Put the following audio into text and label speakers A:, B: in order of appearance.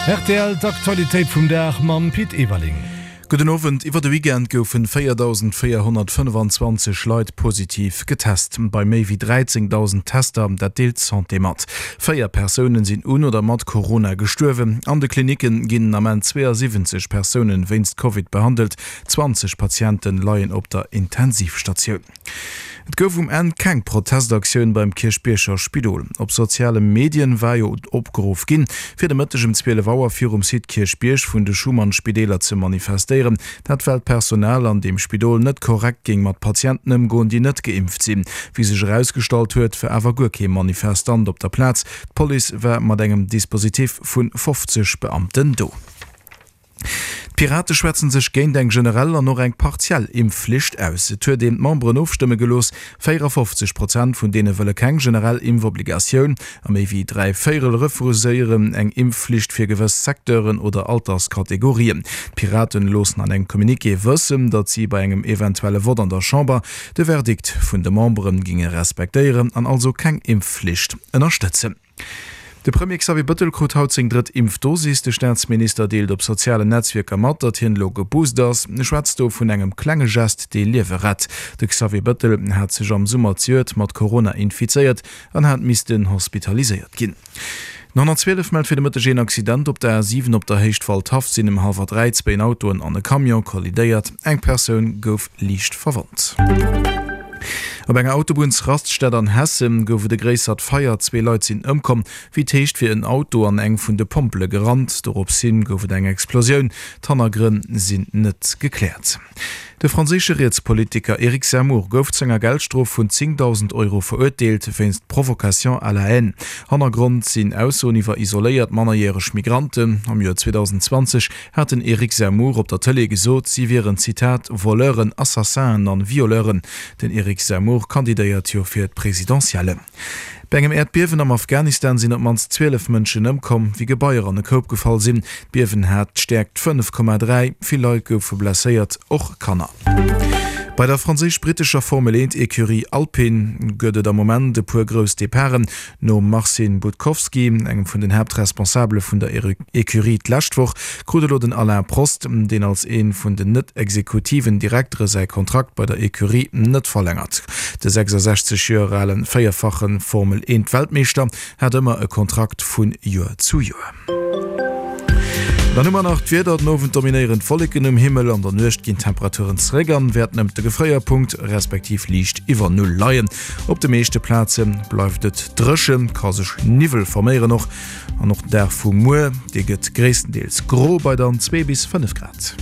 A: Rtl, D'Aktualitéit vum Dag mam Pit Everling.
B: Gudden Owend. Iwwer de Weekend goufen 4.425 Leit positiv getest. Bei méi wéi 13.000 Tester, dat deelt d'Santé mat. 4 Persounen sinn un oder mat Corona gestuerwen. An de Klinicke ginn den Ament 72 Persounen wéinst Covid behandelt. 20 Patienten leien op der Intensivstatioun. Et gouf um Enn keng Protestaktioun beim Kierchbierger Spidol. Op soziale Medien war jo opgeruff ginn, fir de Mëtteg ëm 12 Auer virum Site Kierchbierg vun de Schuman-Spideeler ze manifestéieren. Dat well d'Personal an deem Spidol net korrekt géing mat Patienten ëmgoen, déi net geimpft sinn. Wéi sech erausgestallt huet, war awer guer kee Manifestant op der Plaz. D'Police war mat engem Dispositif vu 50 Beamten do. D'Pirate schwätzen sech géint eng generell an och eng partiell Impfflicht aus. Et huet een d'Memberen ofstëmme gelooss. 54 Prozent vun deene wëlle keng generell Impfobligatioun a méi wéi 3 Véierel refuséieren eng Impfflicht fir gewëss Secteuren oder Alterskategorien. D'Piraten loossen an engem Communiqué wëssen, datt si bei engem eventuelle Vott an der Chamber de Verdikt vun de Membere ginge respektéieren an also keng Impfflicht ënnerstëtzen. De Premier Xavier Bëttel krut haut seng drëtt Impfdosis. De Staatsminister deelt op sozialen Netzwierker mat, datt hien elo geboost ass. E schwätzt do vun engem klenge Gest, dee Liewe rett. De Xavier Bëttel hat sech am Summer zejoert mat Corona infizéiert an hat missten hospitaliséiert ginn. Den 112 mellt fir de Mëtteg een Accident op der A7 op der Héicht Waldhaff sinn ëm hallwer 3 zwéin Autoen an e Camion kollidéiert. Eng Persoun gouf liicht verwonnt. Op enger Autobunnsraststätt an Hessen gouf et e gréissert Feier. Zwee Leit sinn ëmkomm. Wéi et heescht, wier en Auto an eng vun de Pompele gerannt. Dorops hin gouf et eng Explosioun. D'Hannergrënn sinn net gekläert. De franséische Rietspolitiker Eric Zemmour gouf zu enger Geldstrof vun 10.000 Euro verurteelt wéinst Provocation à la haine. Hannergrond sinn Aussoen iwwer isoléiert mannerjäreg Migranten. Am Joer 2020 hat den Eric Zemmour op der Tëlee gesot, si wieren, Zitat, Voleuren, Assassinen an Violeuren. Den Eric Zemmour kandidéiert jo fir d'Presidentielle. Bei engem Äerdbiewen am Afghanistan sinn op d'mannst 12 Mënschen ëmkomm, wéi Gebaier an e Koup gefall sinn. D'Biewen hat d'Stäerkt 5,3. Vill Leit goufe blesséiert, och Kanner. Bei der franséisch-brittescher Formel-Eent-Ecurie Alpine gëtt et am Moment e puer grouss Departen. Nom Marcin Budkowski, engem vun den Haaptresponsabele vun der Ecurie d'lescht Woch, krut elo den Alain Prost, deen als ee vun den net-exekutiven Direktere säi Kontrakt bei der Ecurie net verlängert. De 66 Joer ale véierfache Formel 1 Weltmeeschter hat ëmmer e Kontrakt vu Joer zu Joer. Dann hu mer nach d'Wieder, Den Owend dominéieren d'Wolleken um Himmel, an der Nuecht ginn d'Temperaturen zeréck an wäerten ëmt de Gefréierpunkt respektiv liicht iwwer Null leien. Op de meeschte Plaze bleift et dréchen, ka sech Niwwel forméieren och an och den Dag vu muer, dee gëtt gréisstendeels gro bei dann 2 bis 5 Grad.